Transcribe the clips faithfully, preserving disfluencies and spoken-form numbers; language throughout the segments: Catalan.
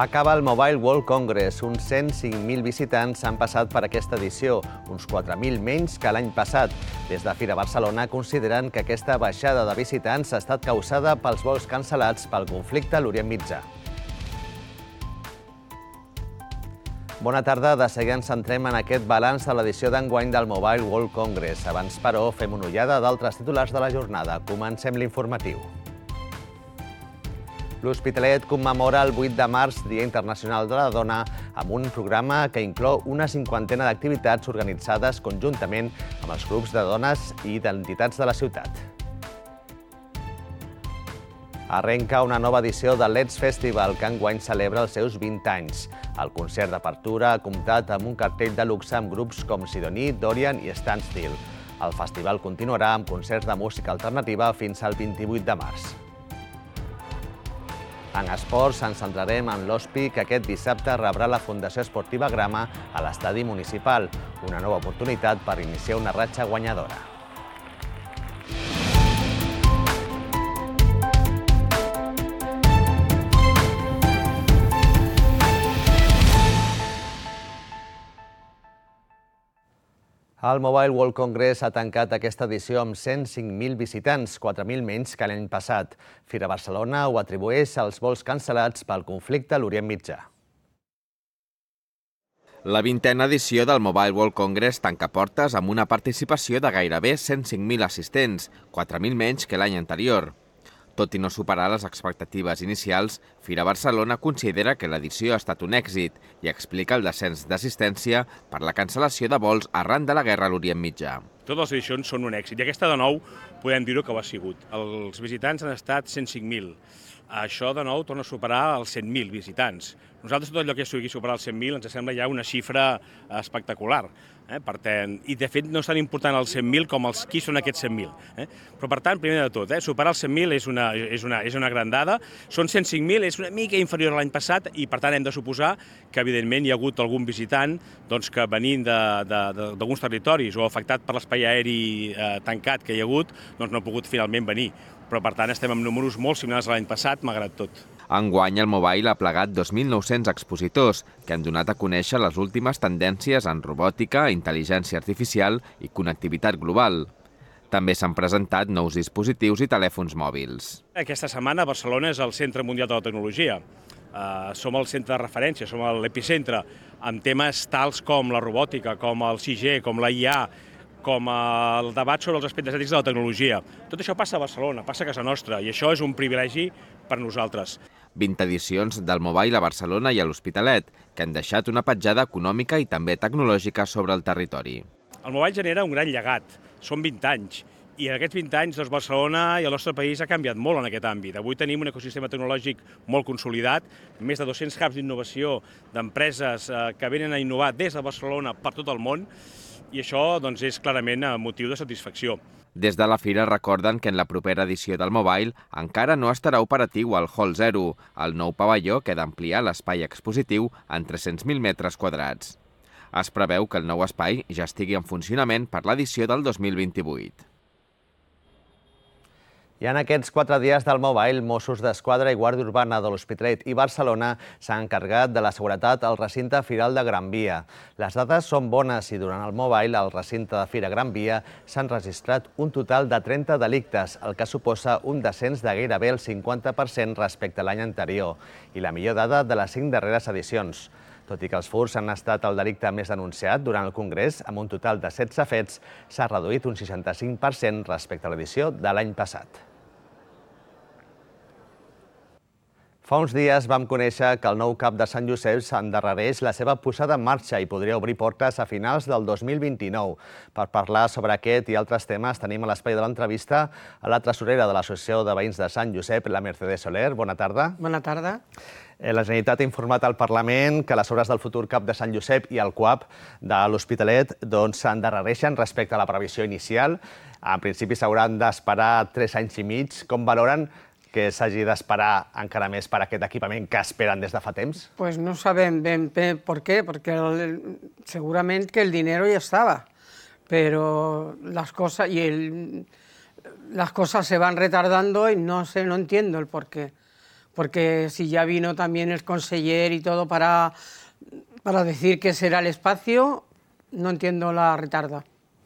Acaba el Mobile World Congress. Uns cent cinc mil visitants han passat per aquesta edició, uns quatre mil menys que l'any passat. Des de Fira Barcelona consideren que aquesta baixada de visitants ha estat causada pels vols cancel·lats pel conflicte a l'Orient Mitjà. Bona tarda. De seguida ens centrem en aquest balanç de l'edició d'enguany del Mobile World Congress. Abans, però, fem una ullada d'altres titulars de la jornada. Comencem l'informatiu. L'Hospitalet commemora el vuit de març, Dia Internacional de la Dona, amb un programa que inclou una cinquantena d'activitats organitzades conjuntament amb els grups de dones i d'entitats de la ciutat. Arrenca una nova edició del Let's Festival, que enguany celebra els seus vint anys. El concert d'apertura ha comptat amb un cartell de luxe amb grups com Sidoní, Dorian i Standstill. El festival continuarà amb concerts de música alternativa fins al vint-i-vuit de març. En esports ens centrarem en l'O S P I, que aquest dissabte rebrà la Fundació Esportiva Grama a l'estadi municipal, una nova oportunitat per iniciar una ratxa guanyadora. El Mobile World Congress ha tancat aquesta edició amb cent cinc mil visitants, quatre mil menys que l'any passat. Fira Barcelona ho atribueix als vols cancel·lats pel conflicte a l'Orient Mitjà. La vintena edició del Mobile World Congress tanca portes amb una participació de gairebé cent cinc mil assistents, quatre mil menys que l'any anterior. Tot i no superar les expectatives inicials, Fira Barcelona considera que l'edició ha estat un èxit i explica el descens d'assistència per la cancel·lació de vols arran de la guerra a l'Orient Mitjà. Totes les edicions són un èxit i aquesta de nou podem dir-ho que ho ha sigut. Els visitants han estat cent cinc mil. Això de nou torna a superar els cent mil visitants. Nosaltres tot allò que sigui superar els cent mil ens sembla ja una xifra espectacular. Eh? Per tant, i de fet no és tan important els cent mil com els qui són aquests cent mil. Eh? Però per tant, primer de tot, eh? superar els cent mil és una, és, una, és una gran dada. Són cent cinc mil, és una mica inferior a l'any passat i per tant hem de suposar que evidentment hi ha hagut algun visitant doncs, que venint d'alguns territoris o afectat per l'espai aeri eh, tancat que hi ha hagut, doncs no ha pogut finalment venir. Però per tant estem amb números molt similars a l'any passat, malgrat tot. Enguany el Mobile ha plegat dos mil nou-cents expositors que han donat a conèixer les últimes tendències en robòtica, intel·ligència artificial i connectivitat global. També s'han presentat nous dispositius i telèfons mòbils. Aquesta setmana Barcelona és el centre mundial de la tecnologia. Uh, som el centre de referència, som l'epicentre amb temes tals com la robòtica, com el cinc G, com la I A, com el debat sobre els aspectes ètics de la tecnologia. Tot això passa a Barcelona, passa a casa nostra, i això és un privilegi per nosaltres. vint edicions del Mobile a Barcelona i a l'Hospitalet, que han deixat una petjada econòmica i també tecnològica sobre el territori. El Mobile genera un gran llegat, són vint anys, i en aquests vint anys doncs, Barcelona i el nostre país ha canviat molt en aquest àmbit. Avui tenim un ecosistema tecnològic molt consolidat, més de dos-cents hubs d'innovació d'empreses eh, que venen a innovar des de Barcelona per tot el món, i això doncs, és clarament motiu de satisfacció. Des de la fira recorden que en la propera edició del Mobile encara no estarà operatiu el Hall Zero, el nou pavelló que ha d'ampliar l'espai expositiu en tres-cents mil metres quadrats. Es preveu que el nou espai ja estigui en funcionament per l'edició del dos mil vint-i-vuit. I en aquests quatre dies del Mobile, Mossos d'Esquadra i Guàrdia Urbana de l'Hospitalet i Barcelona s'han encarregat de la seguretat al recinte Firal de Gran Via. Les dades són bones i durant el Mobile, al recinte de Fira Gran Via, s'han registrat un total de trenta delictes, el que suposa un descens de gairebé el cinquanta per cent respecte a l'any anterior i la millor dada de les cinc darreres edicions. Tot i que els furts han estat el delicte més denunciat durant el Congrés, amb un total de setze fets, s'ha reduït un seixanta-cinc per cent respecte a l'edició de l'any passat. Fa uns dies vam conèixer que el nou cap de Sant Josep s'endarrereix la seva posada en marxa i podria obrir portes a finals del dos mil vint-i-nou. Per parlar sobre aquest i altres temes tenim a l'espai de l'entrevista a la tresorera de l'Associació de Veïns de Sant Josep, la Mercedes Soler. Bona tarda. Bona tarda. La Generalitat ha informat al Parlament que les obres del futur cap de Sant Josep i el C U A P de l'Hospitalet s'endarrereixen respecte a la previsió inicial. En principi s'hauran d'esperar tres anys i mig. Com valoren que s'hagi d'esperar encara més per aquest equipament que esperen des de fa temps? Pues no sabem ben bé per què, perquè el, segurament que el dinero ya estaba, pero las cosas y el, las cosas se van retardando y no sé, no entiendo el por qué. porque si ya vino también el conseller y todo para, para decir que será el espacio, no entiendo la retarda.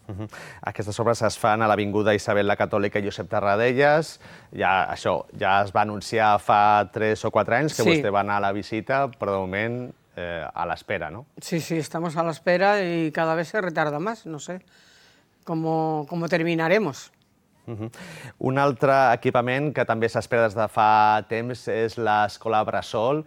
Uh-huh. Aquestes obres es fan a l'Avinguda Isabel la Catòlica i Josep Tarradellas. Ja, això ja es va anunciar fa tres o quatre anys que Sí. vostè va anar a la visita, però de moment eh, a l'espera, ¿no? Sí, sí, estamos a la espera y cada vez se retarda más, no sé cómo, cómo terminaremos. Uh-huh. Un altre equipament que també s'espera des de fa temps és l'Escola Bressol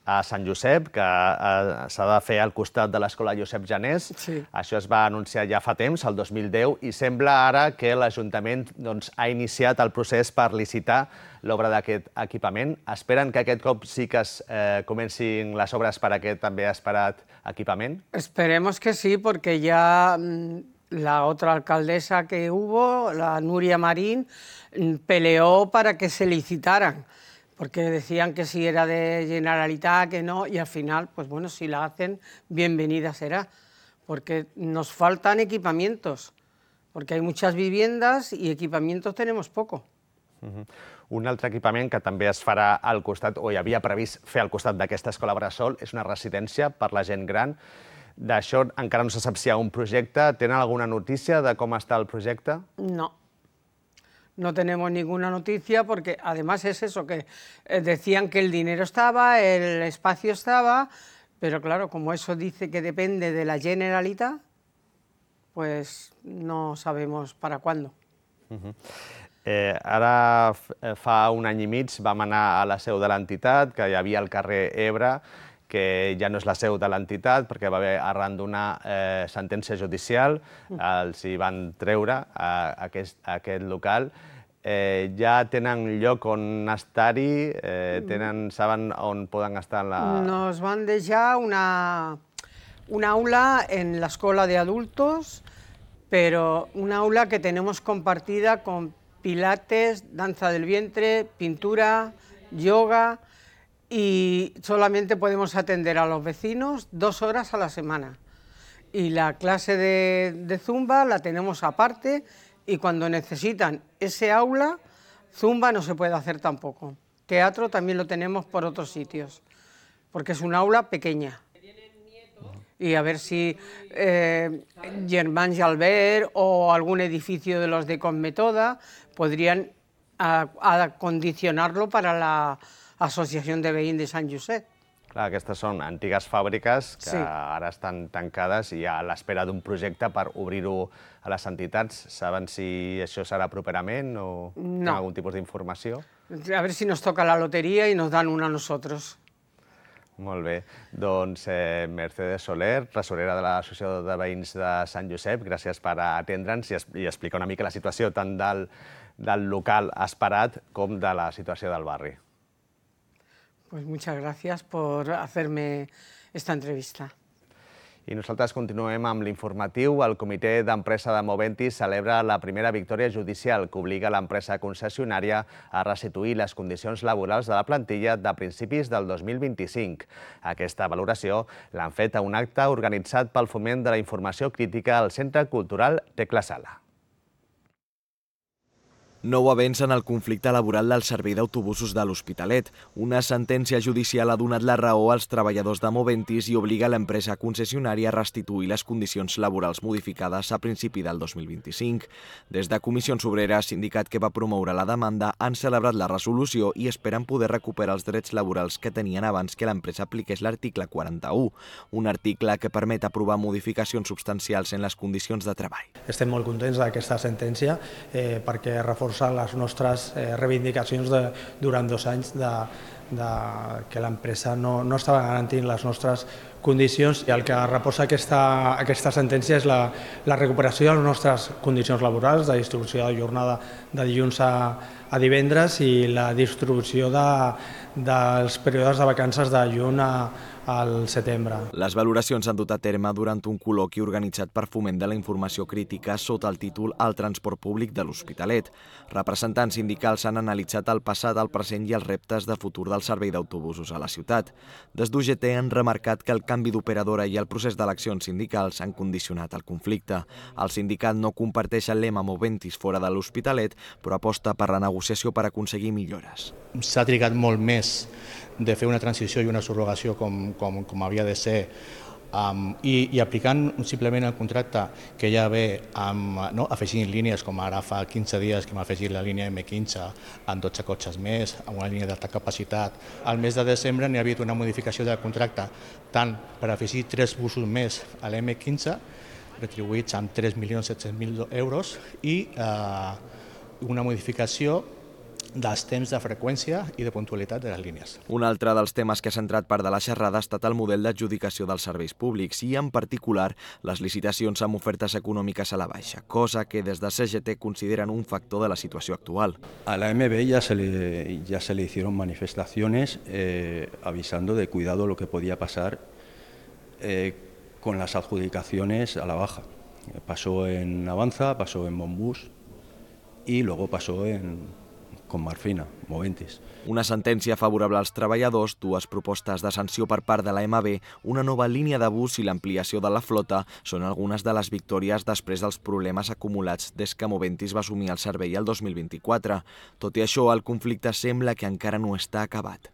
a Sant Josep, que eh, s'ha de fer al costat de l'Escola Josep Janés. Sí. Això es va anunciar ja fa temps, el dos mil deu, i sembla ara que l'Ajuntament doncs, ha iniciat el procés per licitar l'obra d'aquest equipament. Esperen que aquest cop sí que es eh, comencin les obres per aquest també esperat equipament? Esperemos que sí, porque ya mmm, la otra alcaldesa que hubo, la Nuria Marín, mmm, peleó para que se licitaran, porque decían que si era de Generalitat, que no, y al final, pues bueno, si la hacen, bienvenida será, porque nos faltan equipamientos, porque hay muchas viviendas y equipamientos tenemos poco. Uh-huh. Un altre equipament que també es farà al costat, o hi havia previst fer al costat d'aquesta escola Bressol, és una residència per la gent gran. D'això encara no se sap si hi ha un projecte. Tenen alguna notícia de com està el projecte? No. No tenemos ninguna noticia porque además es eso, que eh, decían que el dinero estaba, el espacio estaba, pero claro, como eso dice que depende de la Generalitat, pues no sabemos para cuándo. Uh-huh. eh, ara, fa un any i mig, vam anar a la seu de l'entitat, que hi havia al carrer Ebre, que ja no és la seu de l'entitat, perquè va haver, arran d'una eh, sentència judicial, els hi van treure a, a, aquest, a aquest local. Eh, ja tenen lloc on estar-hi, eh, tenen, saben on poden estar en la... Nos van dejar una, un aula en la escuela de adultos, pero un aula que tenemos compartida con pilates, danza del vientre, pintura, yoga, y solamente podemos atender a los vecinos dos horas a la semana. Y la clase de, de zumba la tenemos aparte, y cuando necesitan ese aula, zumba no se puede hacer tampoco. Teatro también lo tenemos por otros sitios, porque es un aula pequeña. Y a ver si eh, Germán Jalbert o algún edificio de los de Conmetoda podrían a, acondicionarlo para la Associació de Veïns de Sant Josep. Clar, aquestes són antigues fàbriques que Sí. ara estan tancades i a l'espera d'un projecte per obrir-ho a les entitats. Saben si això serà properament o No. tenen algun tipus d'informació? A ver si nos toca la lotería y nos dan una a nosotros. Molt bé. Doncs eh, Mercedes Soler, tresorera de l'Associació de Veïns de Sant Josep, gràcies per atendre'ns i, es i explicar una mica la situació tant del, del local esperat com de la situació del barri. Pues muchas gracias por hacerme esta entrevista. I nosaltres continuem amb l'informatiu. El Comitè d'Empresa de Moventis celebra la primera victòria judicial que obliga l'empresa concessionària a restituir les condicions laborals de la plantilla de principis del dos mil vint-i-cinc. Aquesta valoració l'han fet a un acte organitzat pel Foment de la Informació Crítica al Centre Cultural Tecla Sala. Nou avenç en el conflicte laboral del servei d'autobusos de l'Hospitalet. Una sentència judicial ha donat la raó als treballadors de Moventis i obliga l'empresa concessionària a restituir les condicions laborals modificades a principi del dos mil vint-i-cinc. Des de Comissions Obreres, sindicat que va promoure la demanda, han celebrat la resolució i esperen poder recuperar els drets laborals que tenien abans que l'empresa apliqués l'article quaranta-u, un article que permet aprovar modificacions substancials en les condicions de treball. Estem molt contents d'aquesta sentència eh, perquè reforça les nostres eh, reivindicacions de, durant dos anys de, de que l'empresa no, no estava garantint les nostres condicions i el que reposa aquesta, aquesta sentència és la, la recuperació de les nostres condicions laborals, de distribució de jornada de dilluns a, a divendres i la distribució de, dels períodes de vacances de juny a, al setembre. Les valoracions s'han dut a terme durant un col·loqui organitzat per Foment de la Informació Crítica sota el títol El transport públic de l'Hospitalet. Representants sindicals han analitzat el passat, el present i els reptes de futur del servei d'autobusos a la ciutat. Des d'U G T han remarcat que el canvi canvi d'operadora i el procés d'eleccions sindicals han condicionat el conflicte. El sindicat no comparteix el lema Moventis fora de l'Hospitalet, però aposta per la negociació per aconseguir millores. S'ha trigat molt més de fer una transició i una subrogació com, com, com havia de ser, Um, i, i aplicant simplement el contracte que ja ve amb, no, afegint línies, com ara fa quinze dies que hem afegit la línia eme quinze amb dotze cotxes més, amb una línia d'alta capacitat. Al mes de desembre n'hi ha hagut una modificació del contracte tant per afegir tres busos més a l'eme quinze, retribuïts amb tres milions set-cents mil euros, i eh, una modificació dels temps de freqüència i de puntualitat de les línies. Un altre dels temes que ha centrat part de la xerrada ha estat el model d'adjudicació dels serveis públics i, en particular, les licitacions amb ofertes econòmiques a la baixa, cosa que des de C G T consideren un factor de la situació actual. A la eme be ya se le, ya se le hicieron manifestaciones eh, avisando de cuidado lo que podía pasar eh, con las adjudicaciones a la baja. Pasó en Avanza, pasó en Monbus y luego pasó en com Marfina, Moventis. Una sentència favorable als treballadors, dues propostes de sanció per part de la eme be, una nova línia de bus i l'ampliació de la flota són algunes de les victòries després dels problemes acumulats des que Moventis va assumir el servei el dos mil vint-i-quatre. Tot i això, el conflicte sembla que encara no està acabat.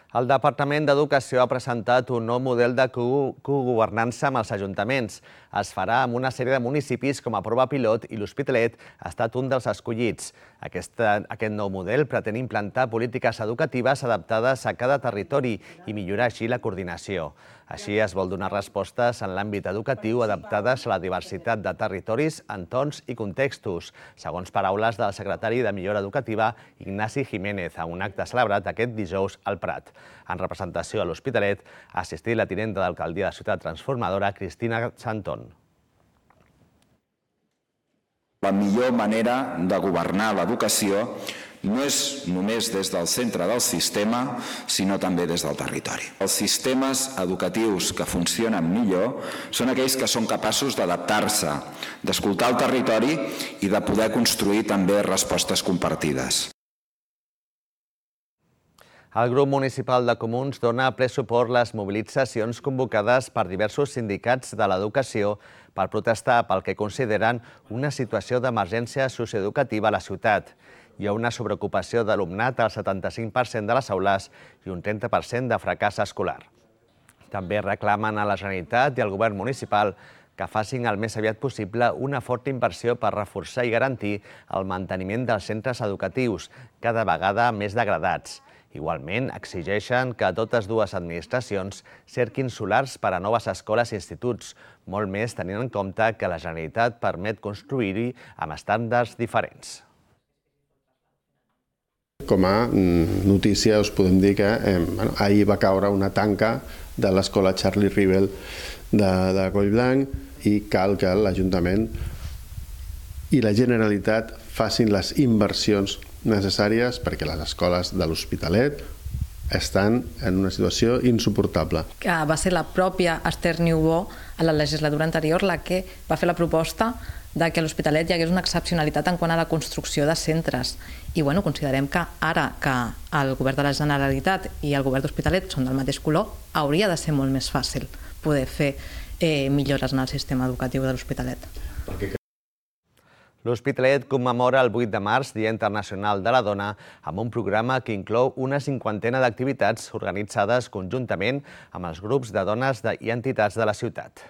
El Departament d'Educació ha presentat un nou model de cogovernança amb els ajuntaments. Es farà amb una sèrie de municipis com a prova pilot i l'Hospitalet ha estat un dels escollits. Aquest, aquest nou model pretén implantar polítiques educatives adaptades a cada territori i millorar així la coordinació. Així es vol donar respostes en l'àmbit educatiu adaptades a la diversitat de territoris, entorns i contextos, segons paraules del secretari de Millora Educativa, Ignasi Jiménez, a un acte celebrat aquest dijous al Prat. En representació a l'Hospitalet ha assistit la tinenta d'alcaldia de Ciutat Transformadora, Cristina Santón. La millor manera de governar l'educació no és només des del centre del sistema, sinó també des del territori. Els sistemes educatius que funcionen millor són aquells que són capaços d'adaptar-se, d'escoltar el territori i de poder construir també respostes compartides. El grup municipal de Comuns dona ple suport a les mobilitzacions convocades per diversos sindicats de l'educació per protestar pel que consideren una situació d'emergència socioeducativa a la ciutat. Hi ha una sobreocupació d'alumnat al setanta-cinc per cent de les aules i un trenta per cent de fracàs escolar. També reclamen a la Generalitat i al govern municipal que facin el més aviat possible una forta inversió per reforçar i garantir el manteniment dels centres educatius, cada vegada més degradats. Igualment, exigeixen que totes dues administracions cerquin solars per a noves escoles i instituts, molt més tenint en compte que la Generalitat permet construir-hi amb estàndards diferents. Com a notícia us podem dir que eh, bueno, ahir va caure una tanca de l'escola Charlie Rivel de, de Collblanc i cal que l'Ajuntament i la Generalitat facin les inversions necessàries perquè les escoles de l'Hospitalet estan en una situació insuportable. Que va ser la pròpia Esther Niubó a la legislatura anterior la que va fer la proposta de que a l'Hospitalet hi hagués una excepcionalitat en quant a la construcció de centres. I bueno, considerem que ara que el govern de la Generalitat i el govern d'Hospitalet són del mateix color, hauria de ser molt més fàcil poder fer eh, millores en el sistema educatiu de l'Hospitalet. L'Hospitalet commemora el vuit de març, Dia Internacional de la Dona, amb un programa que inclou una cinquantena d'activitats organitzades conjuntament amb els grups de dones i entitats de la ciutat.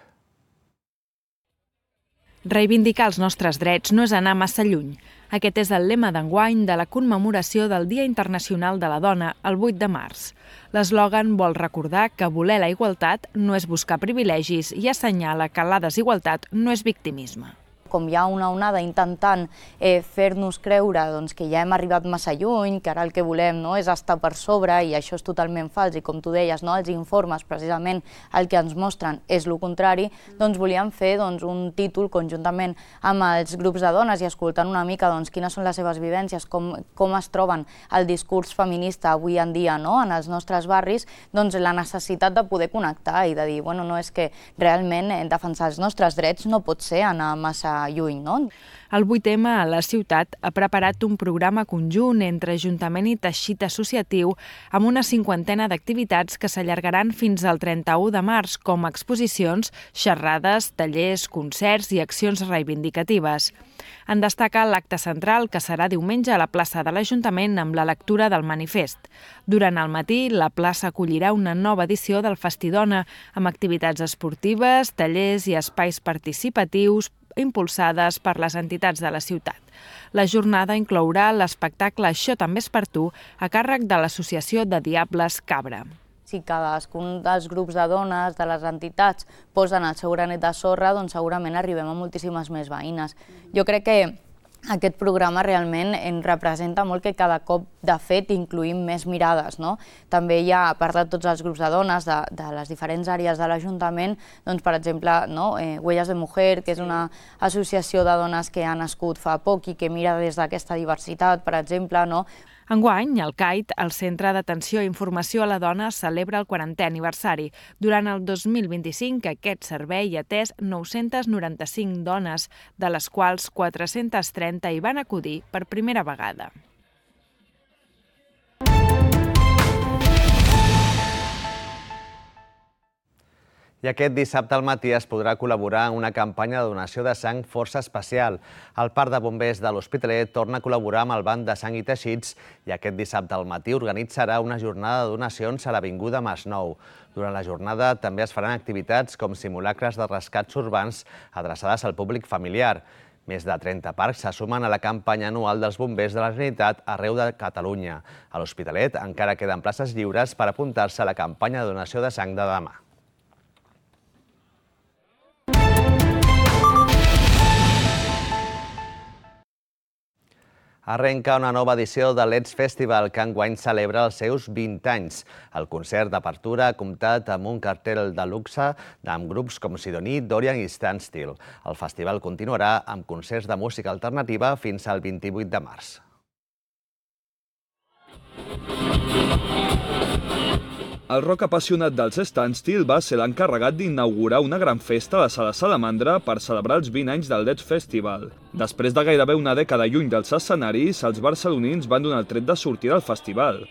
Reivindicar els nostres drets no és anar massa lluny. Aquest és el lema d'enguany de la commemoració del Dia Internacional de la Dona, el vuit de març. L'eslògan vol recordar que voler la igualtat no és buscar privilegis i assenyala que la desigualtat no és victimisme. Com hi ha una onada intentant eh, fer-nos creure doncs, que ja hem arribat massa lluny, que ara el que volem no, és estar per sobre, i això és totalment fals, i com tu deies, no, els informes precisament el que ens mostren és el contrari, doncs volíem fer doncs, un títol conjuntament amb els grups de dones i escoltant una mica doncs, quines són les seves vivències, com, com es troben el discurs feminista avui en dia no, en els nostres barris, doncs la necessitat de poder connectar i de dir, bueno, no és que realment defensar els nostres drets no pot ser anar massa lluny, no? El vuit eme a la ciutat ha preparat un programa conjunt entre Ajuntament i teixit associatiu amb una cinquantena d'activitats que s'allargaran fins al trenta-u de març, com exposicions, xerrades, tallers, concerts i accions reivindicatives. En destaca l'acte central, que serà diumenge a la plaça de l'Ajuntament amb la lectura del manifest. Durant el matí, la plaça acollirà una nova edició del Festidona, amb activitats esportives, tallers i espais participatius impulsades per les entitats de la ciutat. La jornada inclourà l'espectacle Això també és per tu, a càrrec de l'Associació de Diables Cabra. Si cadascun dels grups de dones, de les entitats, posen el seu granet de sorra, doncs segurament arribem a moltíssimes més veïnes. Jo crec que aquest programa realment ens representa molt que cada cop, de fet, incluïm més mirades, no? També hi ha, a part de tots els grups de dones de, de les diferents àrees de l'Ajuntament, doncs, per exemple, no? eh, Huellas de Mujer, que és una associació de dones que ha nascut fa poc i que mira des d'aquesta diversitat, per exemple, no? Enguany, el C A I T, el Centre d'Atenció i Informació a la Dona, celebra el quarantè aniversari. Durant el dos mil vint-i-cinc, aquest servei ha atès nou-centes noranta-cinc dones, de les quals quatre-centes trenta hi van acudir per primera vegada. I aquest dissabte al matí es podrà col·laborar en una campanya de donació de sang força especial. El Parc de Bombers de l'Hospitalet torna a col·laborar amb el Banc de Sang i Teixits i aquest dissabte al matí organitzarà una jornada de donacions a l'Avinguda Masnou. Durant la jornada també es faran activitats com simulacres de rescats urbans adreçades al públic familiar. Més de trenta parcs se sumen a la campanya anual dels bombers de la Generalitat arreu de Catalunya. A l'Hospitalet encara queden places lliures per apuntar-se a la campanya de donació de sang de demà. Arrenca una nova edició de Let's Festival, que enguany celebra els seus vint anys. El concert d'apertura ha comptat amb un cartell de luxe amb grups com Sidoní, Dorian i Standstill. El festival continuarà amb concerts de música alternativa fins al vint-i-vuit de març. El rock apassionat dels Standstill va ser l'encarregat d'inaugurar una gran festa a la Sala Salamandra per celebrar els vint anys del Let's Festival. Després de gairebé una dècada lluny dels escenaris, els barcelonins van donar el tret de sortida al festival.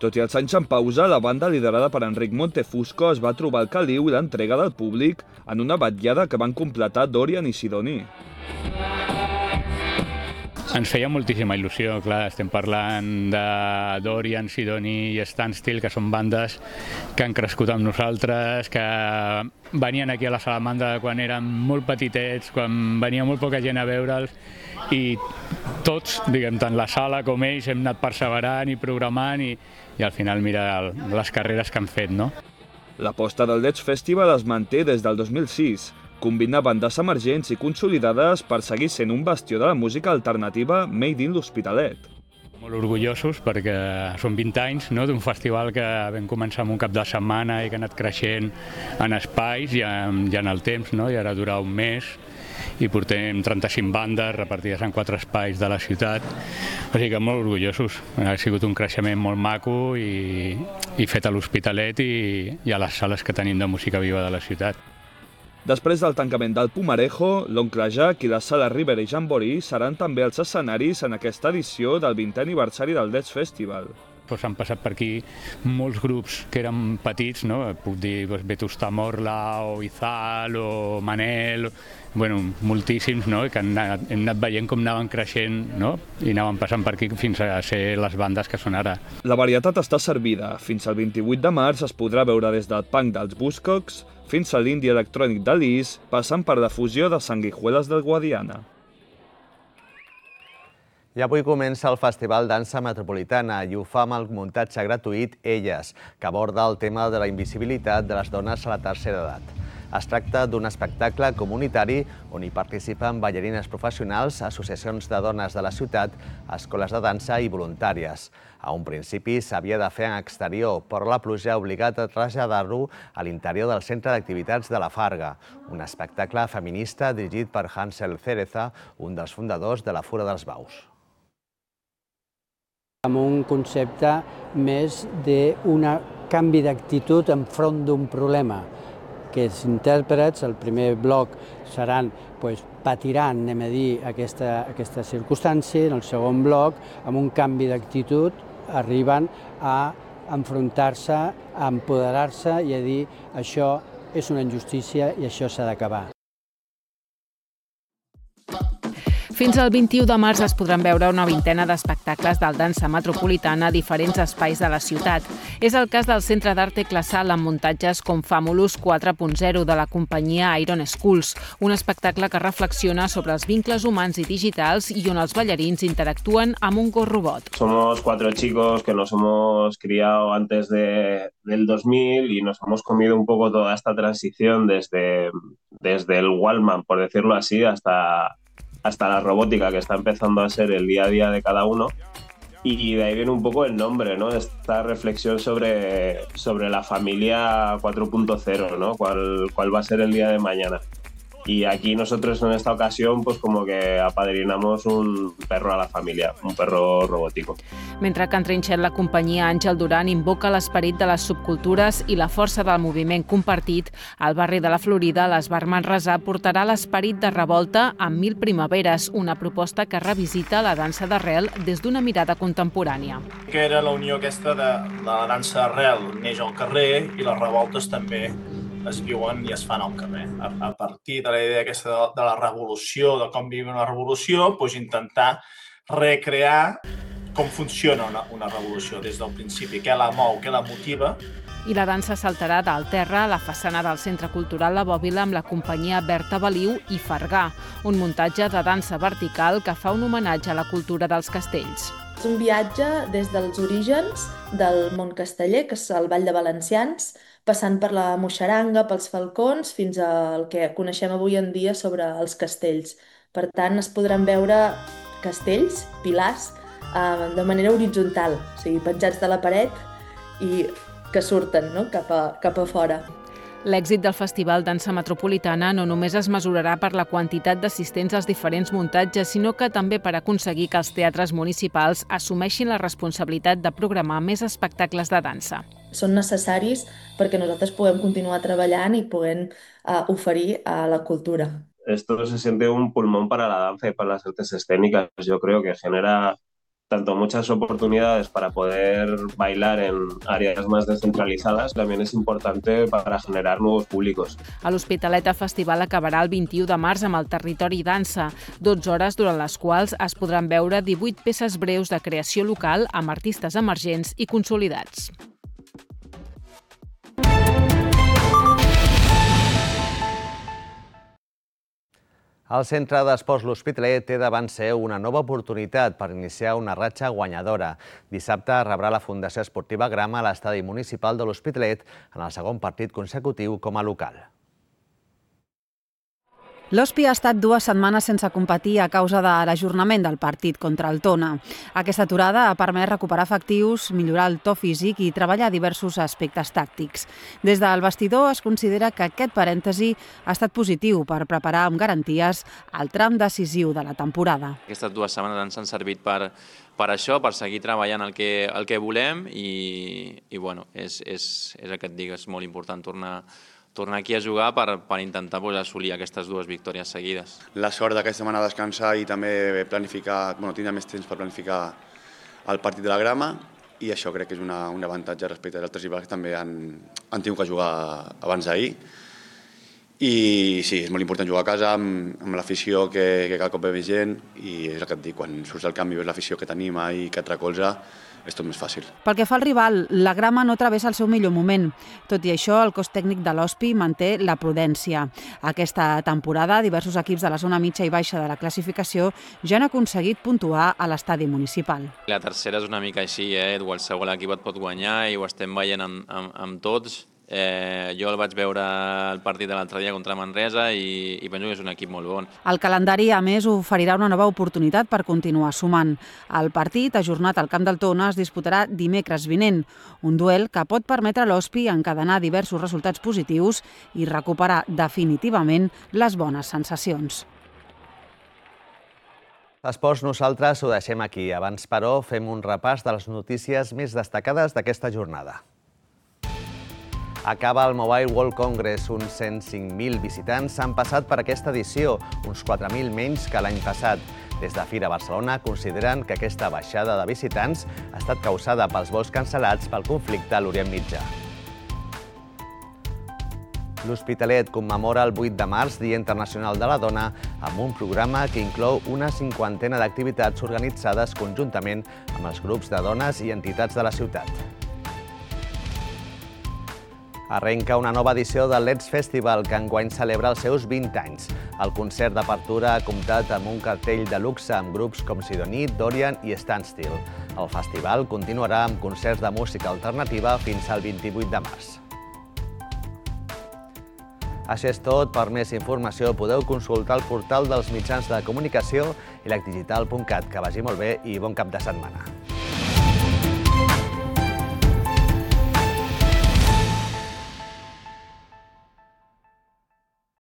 Tot i els anys en pausa, la banda liderada per Enric Montefusco es va trobar el caliu i l'entrega del públic en una vetllada que van completar Dorian i Sidoní. Ens feia moltíssima il·lusió, clar, estem parlant de Dorian, Sidoní i Standstill, que són bandes que han crescut amb nosaltres, que venien aquí a la Salamandra quan eren molt petitets, quan venia molt poca gent a veure'ls, i tots, diguem, tant la sala com ells, hem anat perseverant i programant, i, i al final mira les carreres que han fet, no? L'aposta del Let's Festival es manté des del dos mil sis. Combina bandes emergents i consolidades per seguir sent un bastió de la música alternativa made in l'Hospitalet. Molt orgullosos perquè són vint anys d'un festival que vam començar amb un cap de setmana i que ha anat creixent en espais i en el temps, i ara dura un mes i portem trenta-cinc bandes repartides en quatre espais de la ciutat. O sigui que molt orgullosos. Ha sigut un creixement molt maco i fet a l'Hospitalet i a les sales que tenim de música viva de la ciutat. Després del tancament del Pumarejo, l'Oncle Jack i la Sala Rivera i Jamboree seran també els escenaris en aquesta edició del vintè aniversari del Let's Festival. Han passat per aquí molts grups que eren petits, puc dir Vetusta Morla o Izal o Manel, moltíssims, que hem anat veient com anaven creixent i anaven passant per aquí fins a ser les bandes que són ara. La varietat està servida. Fins al vint-i-vuit de març es podrà veure des del punk dels Buzzcocks fins a l'indie electrònic de Lis, passant per la fusió de Sanguijuelas del Guadiana. I avui comença el Festival Dansa Metropolitana i ho fa amb el muntatge gratuït Elles, que aborda el tema de la invisibilitat de les dones a la tercera edat. Es tracta d'un espectacle comunitari on hi participen ballarines professionals, associacions de dones de la ciutat, escoles de dansa i voluntàries. A un principi s'havia de fer en exterior, però la pluja ha obligat a traslladar-lo a l'interior del Centre d'Activitats de la Farga, un espectacle feminista dirigit per Hansel Cereza, un dels fundadors de la Fura dels Baus. Amb un concepte més d'un canvi d'actitud enfront d'un problema. aquests intèrprets. El primer bloc seran, doncs, patiran, anem a dir, aquesta, aquesta circumstància. En el segon bloc, amb un canvi d'actitud, arriben a enfrontar-se, a empoderar-se i a dir això és una injustícia i això s'ha d'acabar. Fins al vint-i-u de març es podran veure una vintena d'espectacles del Dansa Metropolitana a diferents espais de la ciutat. És el cas del Centre d'Arte Classal amb muntatges com Famulus quatre punt zero de la companyia Iron Schools, un espectacle que reflexiona sobre els vincles humans i digitals i on els ballarins interactuen amb un gos robot. Somos cuatro chicos que nos hemos criado antes de, del dos mil y nos hemos comido un poco toda esta transición desde, desde el Wallman, por decirlo así, hasta... hasta la robótica, que está empezando a ser el día a día de cada uno. Y de ahí viene un poco el nombre, ¿no? Esta reflexión sobre, sobre la familia cuatro punto cero, ¿no? ¿Cuál, cuál va a ser el día de mañana? Y aquí nosotros en esta ocasión pues como que apadrinamos un perro a la familia, un perro robótico. Mentre que en Trinxet la companyia Àngel Duran invoca l'esperit de les subcultures i la força del moviment compartit, al barri de la Florida l'Esbar Manresà portarà l'esperit de revolta amb Mil Primaveres, una proposta que revisita la dansa d'arrel des d'una mirada contemporània. Que era la unió aquesta de, de la dansa d'arrel, neix al carrer i les revoltes també es viuen i es fan al carrer. A, a partir de la idea aquesta de, de la revolució, de com vivim una revolució, doncs intentar recrear com funciona una, una revolució des del principi, què la mou, què la motiva. I la dansa saltarà del terra a la façana del Centre Cultural La Bòbila amb la companyia Berta Baliu i Fargà, un muntatge de dansa vertical que fa un homenatge a la cultura dels castells. És un viatge des dels orígens del món casteller, que és el Ball de Valencians, passant per la moixaranga, pels falcons, fins al que coneixem avui en dia sobre els castells. Per tant, es podran veure castells, pilars, eh, de manera horitzontal, o sigui, penjats de la paret i que surten, no?, cap a, cap a fora. L'èxit del Festival Dansa Metropolitana no només es mesurarà per la quantitat d'assistents als diferents muntatges, sinó que també per aconseguir que els teatres municipals assumeixin la responsabilitat de programar més espectacles de dansa. Són necessaris perquè nosaltres puguem continuar treballant i puguem uh, oferir a la cultura. Esto se siente un pulmón para la danza y para las artes escénicas. Yo creo que genera tanto muchas oportunidades para poder bailar en áreas más descentralizadas, también es importante para generar nuevos públicos. A l'Hospitalet el festival acabarà el vint-i-u de març amb el Territori Dansa, dotze hores durant les quals es podran veure divuit peces breus de creació local amb artistes emergents i consolidats. El Centre d'Esports L'Hospitalet té davant seu una nova oportunitat per iniciar una ratxa guanyadora. Dissabte rebrà la Fundació Esportiva Grama a l'estadi municipal de l'Hospitalet en el segon partit consecutiu com a local. L'Hospi ha estat dues setmanes sense competir a causa de l'ajornament del partit contra el Tona. Aquesta aturada ha permès recuperar efectius, millorar el to físic i treballar diversos aspectes tàctics. Des del vestidor es considera que aquest parèntesi ha estat positiu per preparar amb garanties el tram decisiu de la temporada. Aquestes dues setmanes ens han servit per, per això, per seguir treballant el que, el que volem i, i bueno, és, és, és el que et dic, és molt important tornar tornar aquí a jugar per, per intentar pues, assolir aquestes dues victòries seguides. La sort d'aquesta setmana descansar i també planificar, bueno, tindre més temps per planificar el partit de la Grama i això crec que és una, un avantatge respecte als altres rivals que també han, han tingut que jugar abans d'ahir. I sí, és molt important jugar a casa amb, amb l'afició que, que cada cop ve més gent i és el que et dic, quan surts del camp i veus l'afició que t'anima i que et recolza, és tot més fàcil. Pel que fa al rival, la Grama no travessa el seu millor moment. Tot i això, el cos tècnic de l'Hospi manté la prudència. Aquesta temporada, diversos equips de la zona mitja i baixa de la classificació ja han aconseguit puntuar a l'estadi municipal. La tercera és una mica així, eh? Qualsevol equip et pot guanyar i ho estem veient amb, amb, amb tots. Eh, jo el vaig veure el partit de l'altre dia contra Manresa i, i penso que és un equip molt bon. El calendari, a més, oferirà una nova oportunitat per continuar sumant. El partit, ajornat al Camp del Tona, es disputarà dimecres vinent, un duel que pot permetre a l'Hospi encadenar diversos resultats positius i recuperar definitivament les bones sensacions. Esports, nosaltres ho deixem aquí. Abans, però, fem un repàs de les notícies més destacades d'aquesta jornada. Acaba el Mobile World Congress. Uns cent cinc mil visitants s'han passat per aquesta edició, uns quatre mil menys que l'any passat. Des de Fira Barcelona consideren que aquesta baixada de visitants ha estat causada pels vols cancel·lats pel conflicte a l'Orient Mitjà. L'Hospitalet commemora el vuit de març, Dia Internacional de la Dona, amb un programa que inclou una cinquantena d'activitats organitzades conjuntament amb els grups de dones i entitats de la ciutat. Arrenca una nova edició del Let's Festival, que enguany celebra els seus vint anys. El concert d'apertura ha comptat amb un cartell de luxe amb grups com Sidoní, Dorian i Standstill. El festival continuarà amb concerts de música alternativa fins al vint-i-vuit de març. Això és tot. Per més informació podeu consultar el portal dels mitjans de comunicació i lecdigital punt cat. Que vagi molt bé i bon cap de setmana.